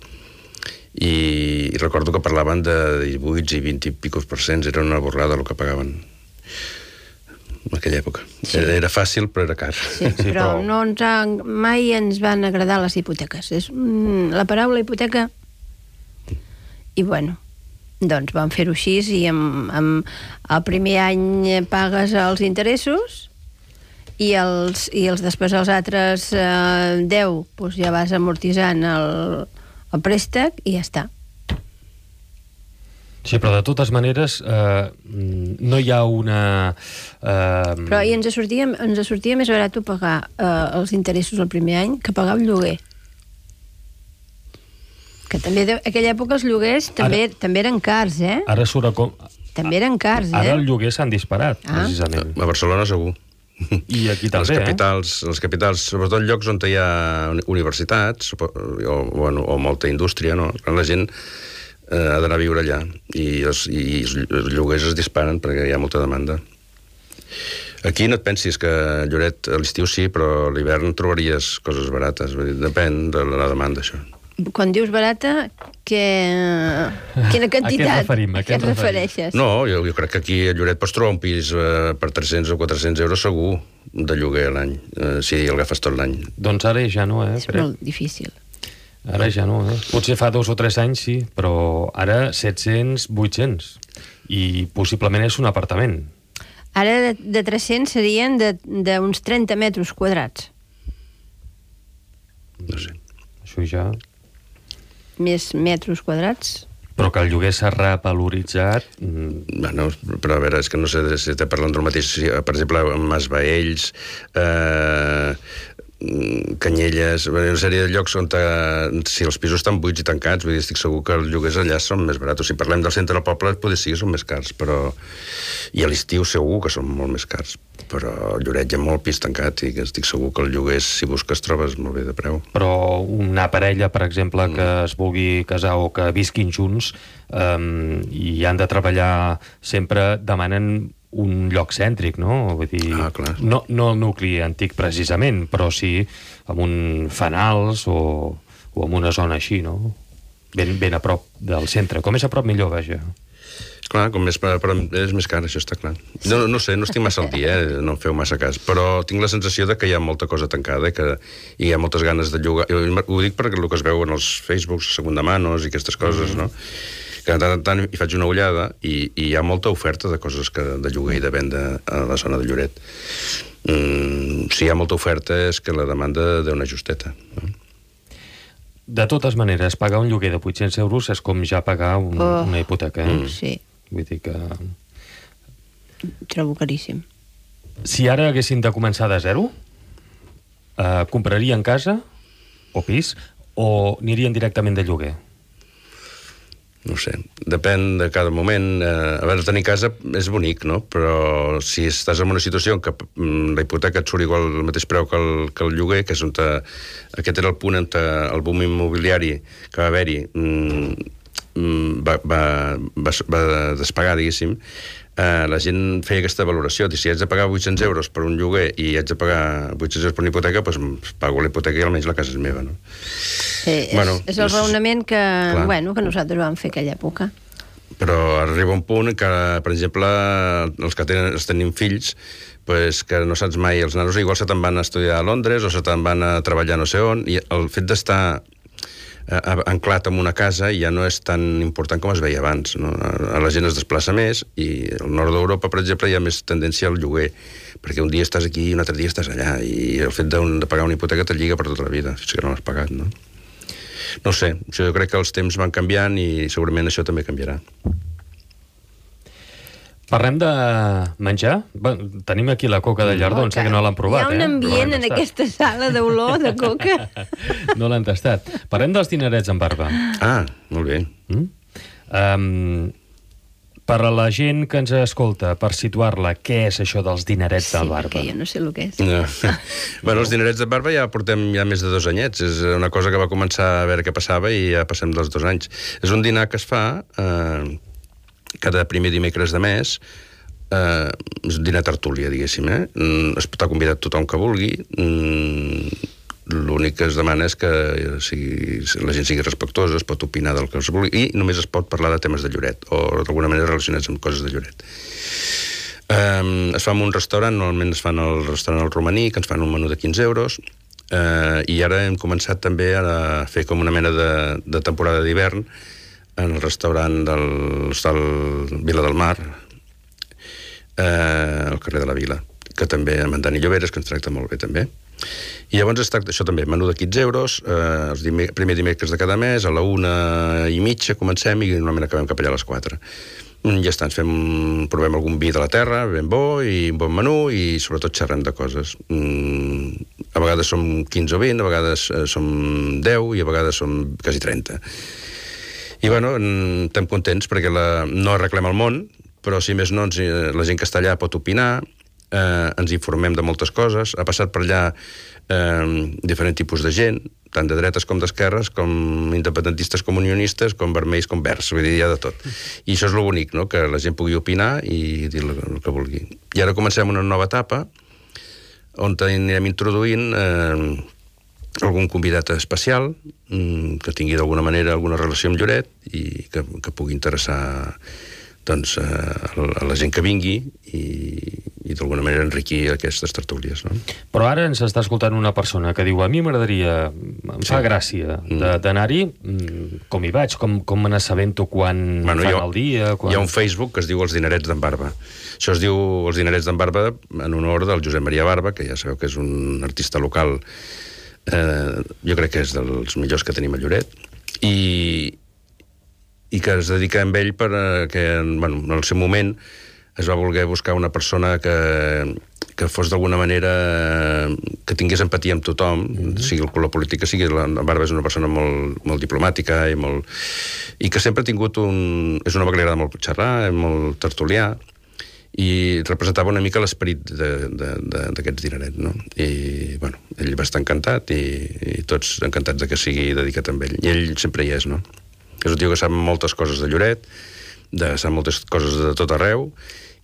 I recordo que parlaven de 18 i 20 i picos %, era una borrada el que pagaven en aquella època. Era fàcil, però era car. Sí, però mai ens van agradar les hipoteques. La paraula hipoteca... I bueno, doncs vam fer-ho així, i el primer any pagues els interessos i després els altres 10 doncs ja vas amortitzant el préstec i ja està. Sí, però de totes maneres no hi ha una... Però ens sortia més barat pagar els interessos el primer any que pagar el lloguer. Que també, en aquella època, els lloguers també eren cars, Ara surt com... També eren cars, Ara els lloguers s'han disparat, precisament. A Barcelona segur. I aquí també, les capitals, sobretot llocs on hi ha universitats o molta indústria, no? La gent ha d'anar a viure allà, i els lloguers es disparen perquè hi ha molta demanda. Aquí no et pensis que Lloret a l'estiu sí, però a l'hivern trobaries coses barates. Depèn de la demanda, això. Quan dius barata, quina quantitat? A què et refereixes? No, jo crec que aquí a Lloret pots trobar un pis per 300 o 400 euros segur de lloguer a l'any, si el agafes tot l'any. Doncs ara ja no, És molt difícil. Ara ja no, Potser fa 2 o 3 anys sí, però ara 700, 800. I possiblement és un apartament. Ara de 300 serien d'uns 30 metres quadrats. No sé. Això ja... Més metres quadrats. Però que el lloguer s'ha revaloritzat... Bueno, però a veure, és que no sé si estem parlant del mateix... Per exemple, Mas Baells, Canyelles, una sèrie de llocs on si els pisos estan buits i tancats, vull dir, estic segur que els lloguers allà són més barats. Si parlem del centre del poble, potser sí que són més cars, però... I a l'estiu segur que són molt més cars. Però a Lloret hi ha molt pis tancat i estic segur que el lloguer, si busques, trobes molt bé de preu. Però una parella, per exemple, que es vulgui casar o que visquin junts i han de treballar sempre, demanen un lloc cèntric, no? Vull dir, clar. No el nucli antic precisament, però sí amb un fanals o en una zona així, no? Ben a prop del centre. Com és a prop, millor, vaja. Clar, com més, però és més car, això està clar. No sé, no estic massa al dia, no em feu massa cas, però tinc la sensació de que hi ha molta cosa tancada i hi ha moltes ganes de llogar. Ho dic perquè el que es veu en els Facebooks, segunda manos i aquestes coses, no? Que de tant en tant hi faig una ullada i hi ha molta oferta de coses de lloguer i de venda a la zona de Lloret. Si hi ha molta oferta és que la demanda deu una justeta, no? De totes maneres, pagar un lloguer de 800 euros és com ja pagar una hipoteca. Sí. Vull dir que... Trobo caríssim. Si ara haguessin de començar de zero, comprarien casa o pis o anirien directament de lloguer? No sé, depèn de cada moment. A veure, tenir casa és bonic, no? Però si estàs en una situació en què la hipoteca et surt igual el mateix preu que el lloguer, que és on aquest era el punt on el boom immobiliari que va haver-hi va despegar, diguéssim, la gent feia aquesta valoració. Si haig de pagar 800 euros per un lloguer i haig de pagar 800 euros per una hipoteca, doncs pago la hipoteca i almenys la casa és meva, no? És el raonament que nosaltres vam fer aquella època. Però arriba un punt que, per exemple, els que tenim fills, pues, que no saps mai, els nanos igual se te'n van a estudiar a Londres o se te'n van a treballar no sé on, i el fet d'estar anclat en una casa ja no és tan important com es veia abans, no? La gent es desplaça més i al nord d'Europa, per exemple, hi ha més tendència al lloguer, perquè un dia estàs aquí i un altre dia estàs allà, i el fet de pagar una hipoteca te lliga per tota la vida, fins que no l'has pagat, no? No sé, jo crec que els temps van canviant i segurament això també canviarà. Parlem de menjar? Tenim aquí la coca de llardó, sé que no l'han provat. Hi ha un ambient en aquesta sala d'olor de coca. No l'han tastat. Parlem dels dinerets amb barba. Ah, molt bé. Per a la gent que ens escolta, per situar-la, què és això dels dinerets de barba? Sí, perquè jo no sé el que és. No. Bueno, els dinerets de barba ja portem més de 2 anyets. És una cosa que va començar a veure què passava i ja passem dels 2 anys. És un dinar que es fa cada primer dimecres de mes, és un dinar tertúlia, diguéssim, es pot convidar tothom que vulgui, l'únic que es demana és que la gent sigui respectuosa, es pot opinar del que es vulgui, i només es pot parlar de temes de Lloret, o d'alguna manera relacionats amb coses de Lloret. Es fa en un restaurant, normalment es fan al restaurant El Romaní, que ens fan un menú de 15 euros, i ara hem començat també a fer com una mena de temporada d'hivern, en el restaurant del l'Hostal Vila del Mar, al carrer de la Vila, que també amb en Dani Lloberes, que ens tracta molt bé també. I llavors es tracta això també, menú de 15 euros, els primer dimecres de cada mes, a la 1:30 comencem i normalment acabem cap allà a les 4. Ja està, provem algun vi de la terra, ben bo, i un bon menú, i sobretot xerrem de coses. A vegades som 15 o 20, a vegades som 10 i a vegades som quasi 30. I bueno, estem contents perquè no arreglem el món, però si més no, la gent que està allà pot opinar, ens informem de moltes coses, ha passat per allà diferents tipus de gent, tant de dretes com d'esquerres, com independentistes com unionistes, com vermells com verds, vull dir, hi ha de tot. I això és el bonic, no?, que la gent pugui opinar i dir el que vulgui. I ara comencem una nova etapa on anirem introduint algun convidat especial que tingui d'alguna manera alguna relació amb Lloret i que pugui interessar doncs, a la gent que vingui i d'alguna manera enriquir aquestes tertúlies, no? Però ara ens està escoltant una persona que diu: a mi m'agradaria, em fa gràcia d'anar-hi, com hi vaig, com me n'assabento quan fan el dia... Hi ha un Facebook que es diu Els Dinerets d'en Barba. Això es diu Els Dinerets d'en Barba en honor del Josep Maria Barba, que ja sabeu que és un artista local, jo crec que és dels millors que tenim a Lloret, i que es dedica amb ell perquè, en el seu moment, es va voler buscar una persona que fos d'alguna manera que tingués empatia amb tothom, sigui el color polític que sigui. La Barba és una persona molt diplomàtica i que sempre ha tingut és un home que li agrada molt xerrar, molt tertulià, i representava una mica l'esperit d'aquests dinerets, no? I, ell va estar encantat i tots encantats de que sigui dedicat amb ell. I ell sempre hi és, no? És un tio que sap moltes coses de Lloret, sap moltes coses de tot arreu,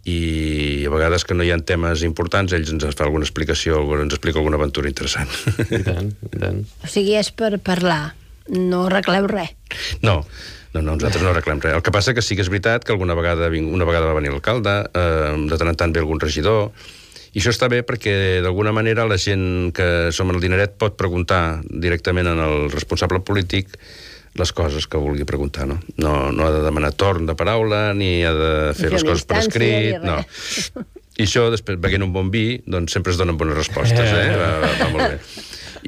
i a vegades que no hi ha temes importants, ells ens fa alguna explicació, ens explica alguna aventura interessant. I tant, i tant. O sigui, és per parlar, no arregleu res. No, nosaltres no arreglem res. El que passa que sí que és veritat que una vegada va venir l'alcalde, de tant en tant ve algun regidor, i això està bé perquè d'alguna manera la gent que som al Dineret pot preguntar directament al responsable polític les coses que vulgui preguntar, no? No ha de demanar torn de paraula, ni ha de fer les coses per escrit, no. I això, després, veient un bon vi, doncs sempre es donen bones respostes, va molt bé.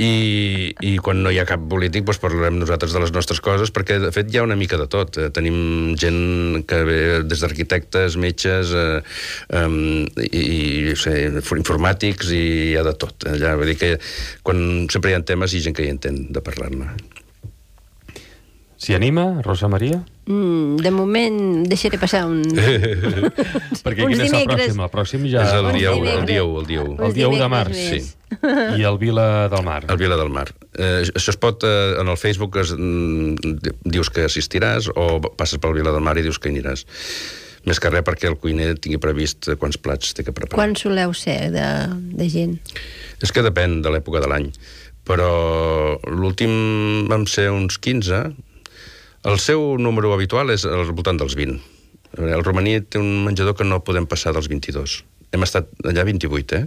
I quan no hi ha cap polític, doncs parlarem nosaltres de les nostres coses, perquè, de fet, hi ha una mica de tot. Tenim gent que ve des d'arquitectes, metges, informàtics, i hi ha de tot. Vull dir que sempre hi ha temes i gent que hi entén de parlar-ne. S'hi anima, Rosa Maria? De moment deixaré passar Perquè quin és el pròxim? El pròxim ja... És el dia 1. El dia 1 de març, sí. I el Vila del Mar. El Vila del Mar. Això es pot... En el Facebook dius que assistiràs o passes pel Vila del Mar i dius que hi aniràs. Més que res perquè el cuiner tingui previst quants plats té que preparar. Quan soleu ser de gent? És que depèn de l'època de l'any. Però l'últim vam ser uns 15. El seu número habitual és al voltant dels 20. El romaní té un menjador que no podem passar dels 22. Hem estat allà 28,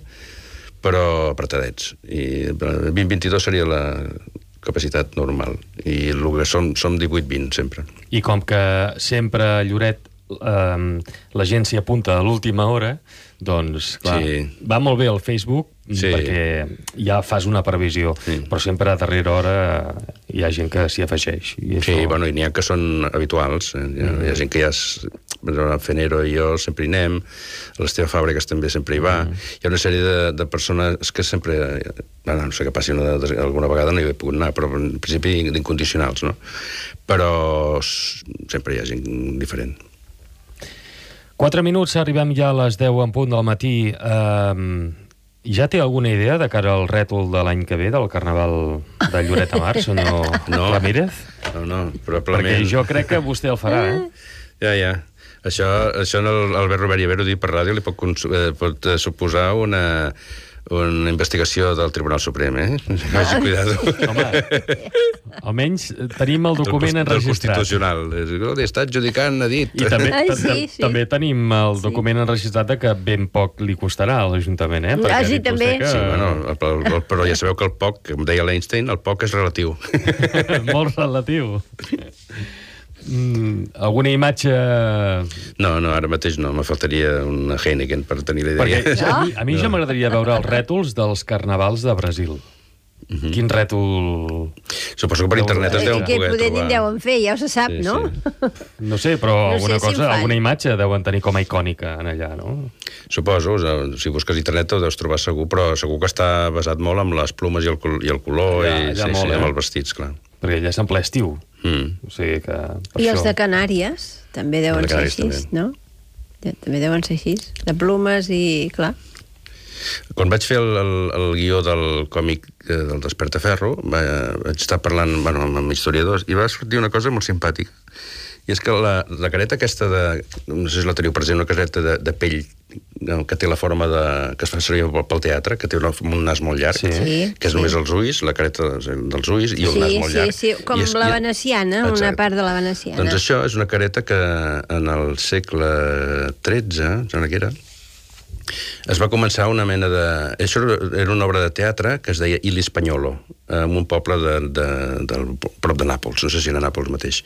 però apretadets. I 20-22 seria la capacitat normal. I el que som 18-20, sempre. I com que sempre a Lloret la gent s'hi apunta a l'última hora, doncs, clar, va molt bé el Facebook, perquè ja fas una previsió, però sempre a darrera hora hi ha gent que s'hi afegeix. I n'hi ha que són habituals. Hi ha gent que ja Fenero i jo sempre hi anem, l'Esteve Fàbregas també sempre hi va. Hi ha una sèrie de persones que sempre... No sé què passi, alguna vegada no hi he pogut anar, però en principi d'incondicionals, no? Però sempre hi ha gent diferent. 4 minuts, arribem ja a les 10 en punt del matí. Ja té alguna idea de cara al rètol de l'any que ve del Carnaval de Lloret de Mar, senyor Ramírez? No, probablement... Perquè jo crec que vostè el farà, Ja. Això Albert Robert i Ibero dit per ràdio li pot suposar una investigació del Tribunal Suprem, Vagi cuidado. Home, almenys tenim el document enregistrat. Del Constitucional. Està adjudicant, ha dit. I també tenim el document enregistrat que ben poc li costarà a l'Ajuntament, Sí, també. Però ja sabeu que el poc, com deia l'Einstein, el poc és relatiu. Molt relatiu. Alguna imatge... No, ara mateix no, me faltaria una Heineken per tenir la idea. Perquè a mi ja m'agradaria veure els rètols dels carnavals de Brasil. Quin rètol... Suposo que per internet es deuen poder trobar. Que deuen fer, ja se sap, no? No sé, però alguna imatge deuen tenir com a icònica en allà, no? Suposo, si busques internet ho deus trobar segur, però segur que està basat molt amb les plomes i el color i amb els vestits, clar. Perquè allà és en ple estiu. O sigui que... I els de Canàries també deuen ser així, no? També deuen ser així, de plomes i... clar. Quan vaig fer el guió del còmic del Despertaferro, vaig estar parlant amb historiadors i va sortir una cosa molt simpàtica. I és que la careta aquesta no sé si la teniu present, una careta de pell que té la forma que es fa servir pel teatre, que té un nas molt llarg, que és només els ulls, la careta dels ulls i el nas molt llarg. Sí, com la veneciana, una part de la veneciana. Doncs això és una careta que en el segle XIII, sembla que era, es va començar una mena de... Això era una obra de teatre que es deia Il Hispagnolo, en un poble prop de Nàpols, no sé si era Nàpols mateix.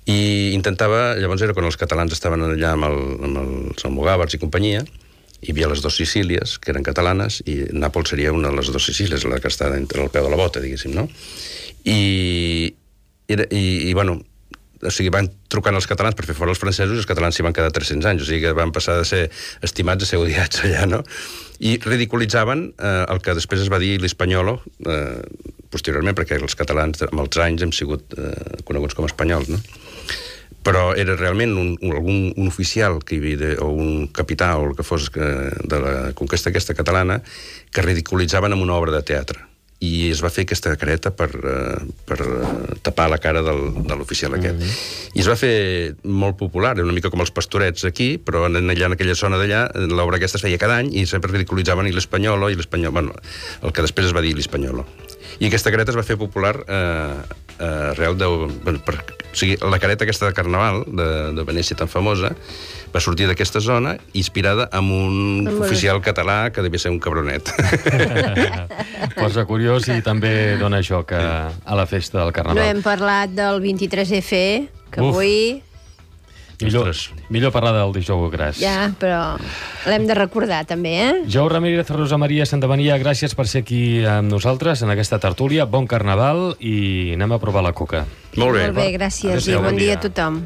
I intentava, llavors era quan els catalans estaven allà amb els almogàvers i companyia, hi havia les dues Sicílies, que eren catalanes, i Nàpols seria una de les dues Sicílies, la que està entre el peu de la bota, diguéssim, no? I bueno, o sigui, van trucant els catalans per fer fora els francesos i els catalans s'hi van quedar 300 anys, o sigui que van passar de ser estimats a ser odiats allà, no? I ridiculitzaven el que després es va dir l'Hispanyolo, posteriorment, perquè els catalans amb els anys hem sigut coneguts com a espanyols, no? Però era realment un oficial que hi havia, o un capità o el que fos de la conquesta aquesta catalana, que ridiculitzaven amb una obra de teatre. I es va fer aquesta careta per tapar la cara de l'oficial aquest. I es va fer molt popular, una mica com els pastorets aquí, però allà en aquella zona d'allà, l'obra aquesta es feia cada any i sempre ridiculitzaven l'Espanyolo, bueno, el que després es va dir l'Espanyolo. I aquesta careta es va fer popular arrel de... O sigui, la careta aquesta de Carnaval, de Venècia tan famosa, va sortir d'aquesta zona inspirada en un oficial català que devia ser un cabronet. Posa curiós i també dona joc a la festa del Carnaval. No hem parlat del 23F, que avui... Millor parlar del dijous gras. Ja, però l'hem de recordar també, Jou Ramírez, Rosa Maria Santamaria, gràcies per ser aquí amb nosaltres en aquesta tertúlia. Bon Carnaval i anem a provar la coca. Molt bé. Molt bé, gràcies i bon dia a tothom.